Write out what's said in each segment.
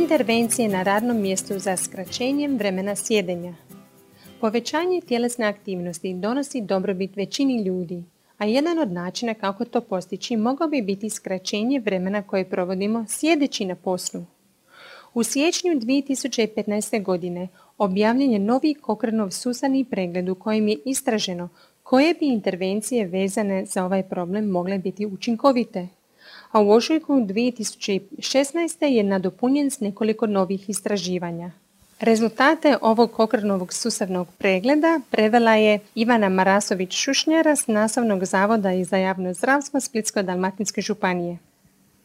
Intervencije na radnom mjestu za skraćenjem vremena sjedenja. Povećanje tjelesne aktivnosti donosi dobrobit većini ljudi, a jedan od načina kako to postići mogao bi biti skraćenje vremena koje provodimo sjedeći na poslu. U siječnju 2015. godine objavljen je novi Cochranov sustavni pregled u kojem je istraženo koje bi intervencije vezane za ovaj problem mogle biti učinkovite. A u ožujku 2016. je nadopunjen s nekoliko novih istraživanja. Rezultate ovog Cochranovog sustavnog pregleda prevela je Ivana Marasović-Šušnjara s Nastavnog zavoda za javno zdravstvo Splitsko-dalmatinske županije.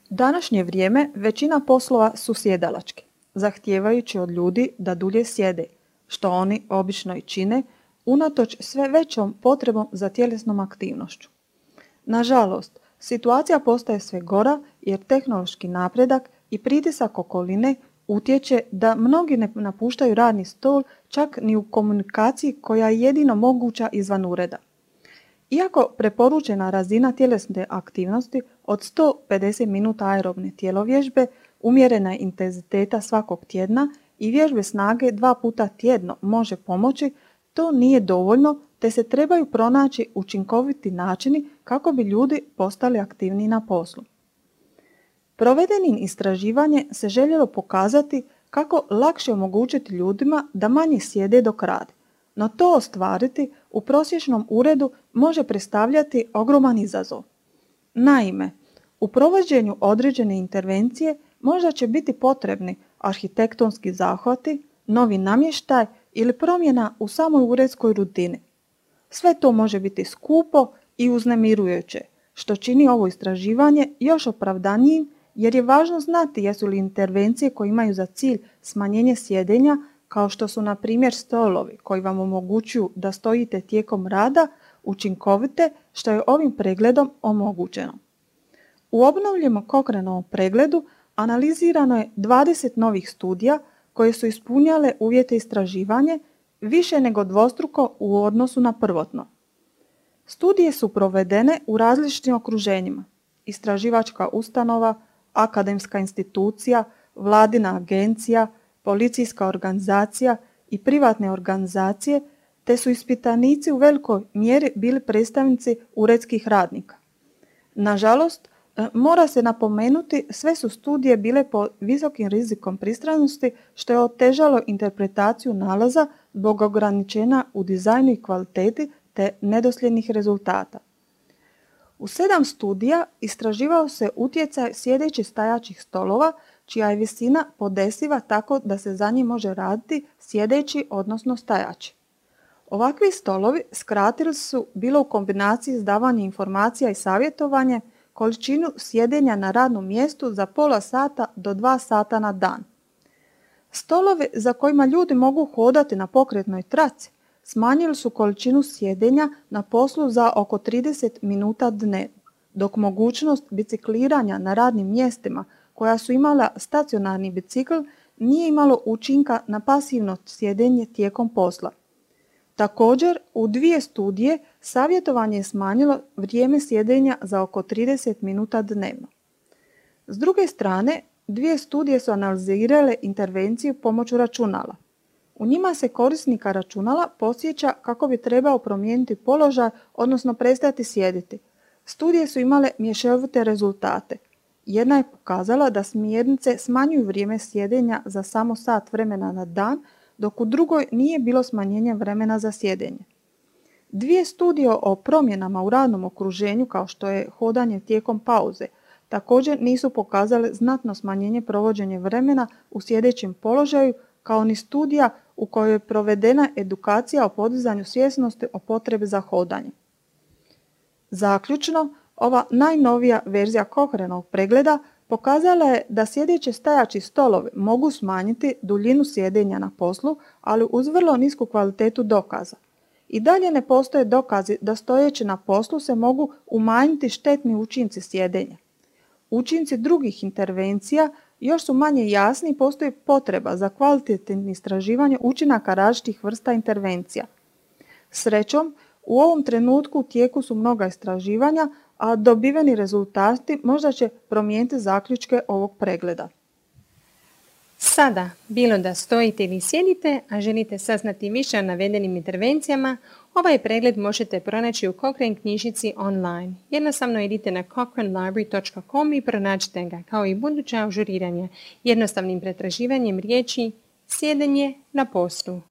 Današnje vrijeme većina poslova su sjedalački, zahtijevajući od ljudi da dulje sjede, što oni obično i čine, unatoč sve većom potrebom za tjelesnom aktivnošću. Nažalost, situacija postaje sve gora jer tehnološki napredak i pritisak okoline utječe da mnogi ne napuštaju radni stol čak ni u komunikaciji koja je jedino moguća izvan ureda. Iako preporučena razina tjelesne aktivnosti od 150 minuta aerobne tjelovježbe, umjerena intenziteta svakog tjedna i vježbe snage 2 puta tjedno može pomoći, to nije dovoljno te se trebaju pronaći učinkoviti načini kako bi ljudi postali aktivniji na poslu. Provedenim istraživanje se željelo pokazati kako lakše omogućiti ljudima da manje sjede dok rade, no to ostvariti u prosječnom uredu može predstavljati ogroman izazov. Naime, u provođenju određene intervencije možda će biti potrebni arhitektonski zahvati, novi namještaj ili promjena u samoj uredskoj rutini. Sve to može biti skupo i uznemirujuće, što čini ovo istraživanje još opravdanijim jer je važno znati jesu li intervencije koje imaju za cilj smanjenje sjedenja, kao što su na primjer stolovi koji vam omogućuju da stojite tijekom rada, učinkovite, što je ovim pregledom omogućeno. U obnovljenom Cochranovom pregledu analizirano je 20 novih studija koje su ispunjale uvjete istraživanja više nego dvostruko u odnosu na prvotno. Studije su provedene u različitim okruženjima: istraživačka ustanova, akademska institucija, vladina agencija, policijska organizacija i privatne organizacije, te su ispitanici u velikoj mjeri bili predstavnici uredskih radnika. Nažalost, mora se napomenuti, sve su studije bile pod visokim rizikom pristranosti, što je otežalo interpretaciju nalaza zbog ograničenja u dizajnu i kvaliteti te nedosljednih rezultata. U 7 studija istraživao se utjecaj sjedećih stajaćih stolova, čija je visina podesiva tako da se za njih može raditi sjedeći odnosno stajaći. Ovakvi stolovi skratili su, bilo u kombinaciji s davanjem informacija i savjetovanje, količinu sjedenja na radnom mjestu za pola sata do 2 sata na dan. Stolovi za kojima ljudi mogu hodati na pokretnoj traci smanjili su količinu sjedenja na poslu za oko 30 minuta dnevno, dok mogućnost bicikliranja na radnim mjestima koja su imala stacionarni bicikl nije imalo učinka na pasivno sjedenje tijekom posla. Također, u 2 studije savjetovanje je smanjilo vrijeme sjedenja za oko 30 minuta dnevno. S druge strane, 2 studije su analizirale intervenciju pomoću računala. U njima se korisnika računala podsjeća kako bi trebao promijeniti položaj, odnosno prestati sjediti. Studije su imale mješovite rezultate. Jedna je pokazala da smjernice smanjuju vrijeme sjedenja za samo sat vremena na dan, dok u drugoj nije bilo smanjenja vremena za sjedenje. 2 studije o promjenama u radnom okruženju, kao što je hodanje tijekom pauze, također nisu pokazale znatno smanjenje provođenja vremena u sjedećem položaju, kao ni studija u kojoj je provedena edukacija o podizanju svjesnosti o potrebi za hodanje. Zaključno, ova najnovija verzija Cochranovog pregleda pokazala je da sjedeći stajaći stolovi mogu smanjiti duljinu sjedenja na poslu, ali uz vrlo nisku kvalitetu dokaza. I dalje ne postoje dokazi da stojeći na poslu se mogu umanjiti štetni učinci sjedenja. Učinci drugih intervencija još su manje jasni i postoji potreba za kvalitetnim istraživanjem učinaka različitih vrsta intervencija. Srećom, u ovom trenutku u tijeku su mnoga istraživanja, a dobiveni rezultati možda će promijeniti zaključke ovog pregleda. Sada, bilo da stojite ili sjedite, a želite saznati više o navedenim intervencijama, ovaj pregled možete pronaći u Cochrane knjižnici online. Jednostavno idite na cochranelibrary.com i pronađite ga, kao i buduća ažuriranja, jednostavnim pretraživanjem riječi sjedenje na poslu.